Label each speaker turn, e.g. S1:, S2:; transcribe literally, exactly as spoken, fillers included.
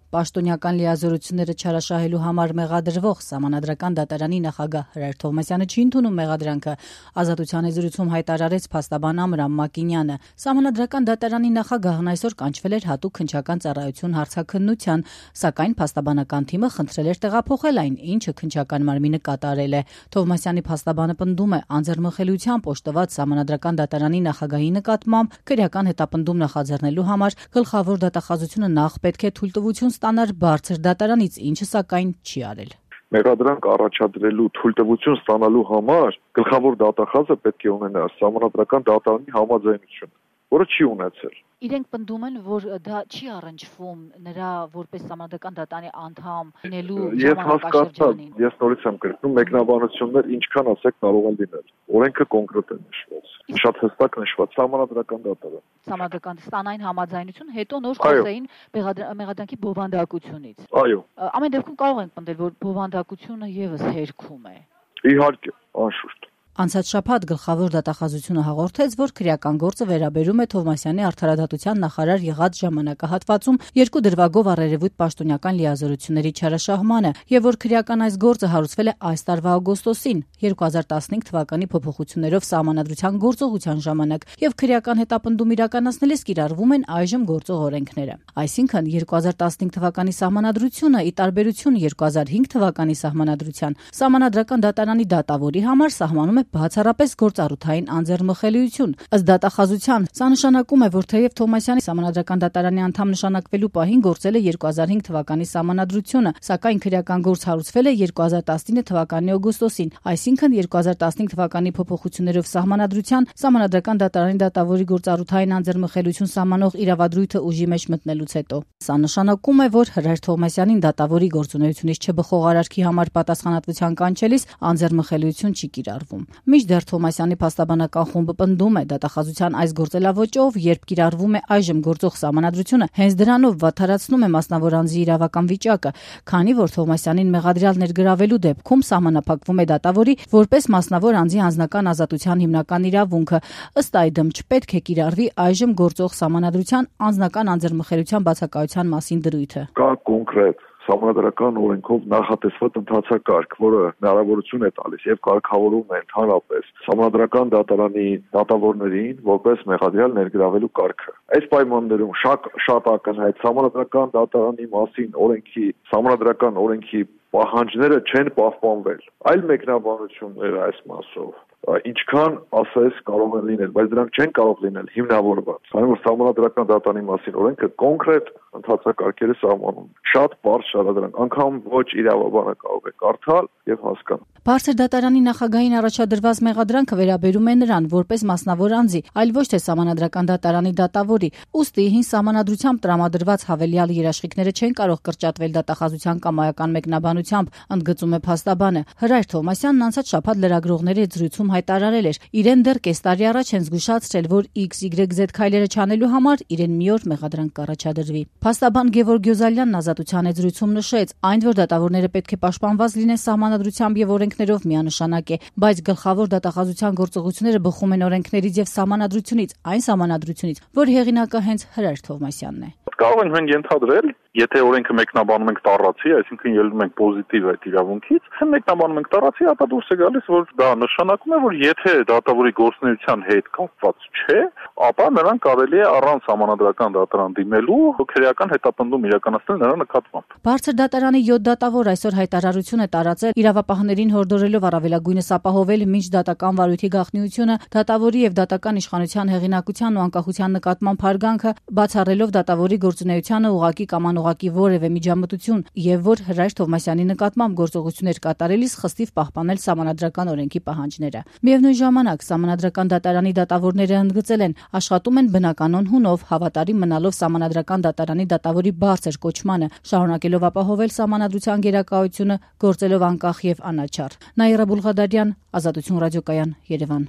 S1: Պաշտոնյական լիազորությունները չարաշահելու համար մեղադրվող Սահմանադրական դատարանի նախագահ Հրայր Թովմասյանը չի ընդունում մեղադրանքը, Ազատության եզրույցում հայտարարեց փաստաբան Ամրամ Մակինյանը։ Սահմանադրական դատարանի նախագահն այսօր կանչվել էր հատուկ քննչական ծառայություն հարցաքննության, սակայն փաստաբանական թիմը խնդրել էր տեղափոխել այն, ինչը քննչական մարմինը կատարել է։ Թովմասյանի փաստաբանը պնդում է, անձեռնմխելիությամբ օժտված Սահմանադրական դատարանի նախագահի նկատմամբ քրեական հետապնդում նախաձեռնելու համար գլխավոր դատախազությունը նախ պետք է թույլտվություն ստանար բարձր դատարանից, ինչը սակայն չի արել։
S2: Մեղադրանք առաջադրելու թույլտվություն ստանալու համար գլխավոր դատախազը պետք է ունենա Սահմանադրական դատարանի համաձայնություն, որը չի ունեցել։
S1: Իրենք պնդում են, որ դա չի առնչվում նրա որպես Սահմանադրական դատարանի անդամ լինելու ժամանակաշրջանին։
S2: Ես նորից եմ կրկնում, մեկնաբանություններ ինչքան ասեք կարող են լինել։ Օրենքը կոնկրետ է նշված։ Շատ հստակ նշված Սահմանադրական դատարան։
S1: Սահմանադրական ստանային համաձայնություն, հետո նոր խոսեին մեղադրանքի բովանդակությունից։
S2: Այո։
S1: Ամեն դեպքում կարող ենք պնդել, որ բովանդակությունը եւս հերքում է։
S2: Իհարկե, անշուշտ։
S1: Անցած շաբաթ գլխավոր դատախազությունը հաղորդեց, որ քրեական գործը վերաբերում է Թովմասյանի արդարադատության նախարար եղած ժամանակահատվածում երկու դրվագով առերևույթ պաշտոնյական լիազորությունների չարաշահմանը եւ որ քրեական այս գործը հարուցվել է այս տարվա օգոստոսին երկու հազար տասնհինգ թվականի փոփոխություններով Սահմանադրության գործողության ժամանակ եւ քրեական հետապնդում իրականացնելիս կիրառվում են այժմ գործող օրենքները։ Այսինքն երկու հազար տասնհինգ թվականի Սահմանադրությունը ի տարբերություն երկու հազար հինգ թվականի Սահմանադրության Սահմանադրական դատարանի դատավորի համար սահմանում է բացառապես գործառութային անձեռնմխելիություն։ Ըստ դատախազության, սա նշանակում է, որ թեև Թովմասյանի Սահմանադրական դատարանի անդամ նշանակվելու պահին գործել է երկու հազար հինգ թվականի Սահմանադրությունը, սակայն քրեական գործ հարուցվել է երկու հազար տասնինը թվականի օգոստոսին, այսինքն երկու հազար տասնհինգ թվականի փոփոխություններով Սահմանադրության Սահմանադրական դատարանի դատավորի գործառութային անձեռնմխելիություն սահմանող իրավադրույթը ուժի մեջ մտնելուց հետո։ Սա նշանակում է, որ Հրայր Թովմասյանին դատավորի գործունեությունից չբխող արարքի համար պատասխանատվության կանչելիս անձեռնմխելիություն չի կիրառվում։ Մինչդեռ Թովմասյանի փաստաբանական խումբը պնդում է դատախազության այս գործելավոճով, երբ կիրառվում է այժմ գործող Սահմանադրությունը, հենց դրանով վատթարացնում է մասնավոր անձի իրավական վիճակը, քանի որ Թովմասյանին մեղադրյալ ներգրավելու դեպքում սահմանափակվում է դատավորի որպես մասնավոր անձի անձնական ազատության հիմնական իրավունքը։ Ըստ այդմ չպետք է կիրառվի այժմ գործող Սահմանադրության անձնական անձեռնմխելիության բացակայության մասին դրույթը։
S2: Կա կոնկրետ Սահմանադրական օրենքով նախատեսված ընթացակարգ, որը հնարավորություն է տալիս եւ կարգավորում է ընդհանրապես Սահմանադրական դատարանի դատավորներին որպես մեղադրյալ ներգրավելու կարգը։ Այս պայմաններում շատ շատ ակնհայտ Սահմանադրական դատարանի մասին օրենքի Սահմանադրական օրենքի պահանջները չեն պահպանվել։ Այլ մեկնաբանություններ այս մասով ինչքան ասես կարող են լինել, բայց դրանք չեն կարող լինել հիմնավորված։ Քանի որ Սահմանադրական դատարանի մասին օրենքը կոնկրետ ընթացակարգերը սահմանում։ Շատ բարձր շարադրանք, անգամ ոչ իրավաբանը կարող է կարդալ եւ հասկանալ։
S1: Բարձր դատարանի նախագահին առաջադրված մեղադրանքը վերաբերում է նրան որպես մասնավոր անձի, այլ ոչ թե Սահմանադրական դատարանի դատավորի։ Ուստի հին Սահմանադրությամբ տրամադրված հավելյալ երաշխիքները չեն կարող կրճատվել դատախազության կամայական մեկնաբանությամբ, ընդգծում է փաստաբանը։ Հրայր Թովմասյանն անցած շաբաթ լրագրողների հետ զրույցում հայտարարել էր, իրեն դեռ կես տարի առաջ են զգուշացրել, որ X Y Z քայլերը չանելու համար իրեն մի օր մեղադրանք կառաջադրվի։ Փաստաբան Գևորգ Գյոզալյանն Ազատության հետ զրույցում նշեց, այն որ դատավորները պետք է պաշտպանված լինեն Սահմանադրությամբ եւ օրենքներով միանշանակ է, բայց գլխավոր դատախազության գործողությունները բխում են օրենքներից եւ Սահմանադրությունից, այն Սահմանադրությունից, որ հեղինակը հենց Հրայր Թովմասյանն է։
S3: Կարող ենք մենք ենթադրել, եթե օրենքը մեկնաբանում ենք տառացի, այսինքն ելնում ենք պոզիտիվ այդ իրավունքից, եթե մեկնաբանում ենք տառացի, ապա դուրս է գալիս, որ դա նշանակում է, որ եթե դատավորի գործունեության հետ կապված չէ, ապա նրան կարելի է առանց Սահմանադրական դատարան դիմելու քրեական հետապնդում իրականացնել նրա նկատմամբ։
S1: Բարձր դատարանի յոթ դատավոր այսօր հայտարարություն է տարածել իրավապահներին հորդորելով առավելագույնս ապահովել մինչ դատական վարույթի գաղտնիությունը, դատավորի եւ դատական իշխանության հեղինակության ու անկախության նկատմամբ հարգանքը, բացառելով դատավորի գործունեությանը ուղղակի կամ անուղղակի որևէ միջամտություն եւ որ Հրայր Թովմասյանի նկատմամբ գործողություններ կատարելիս խստիվ պահպանել Սահմանադրական օրենքի պահանջները։ Միևնույն ժամանակ Սահմանադրական դատարանի դատավորները ընդգծել են, աշխատում են բնականon հունով, հավատարիմ մնալով Սահմանադրական դատարանի դատավորի բարձր կոչմանը, շարունակելով ապահովել Սահմանադրության գերակայությունը, գործելով անկախ եւ անաչառ։ Նաիրա Բուլղադարյան, Ազատություն ռադիոկայան, Երևան։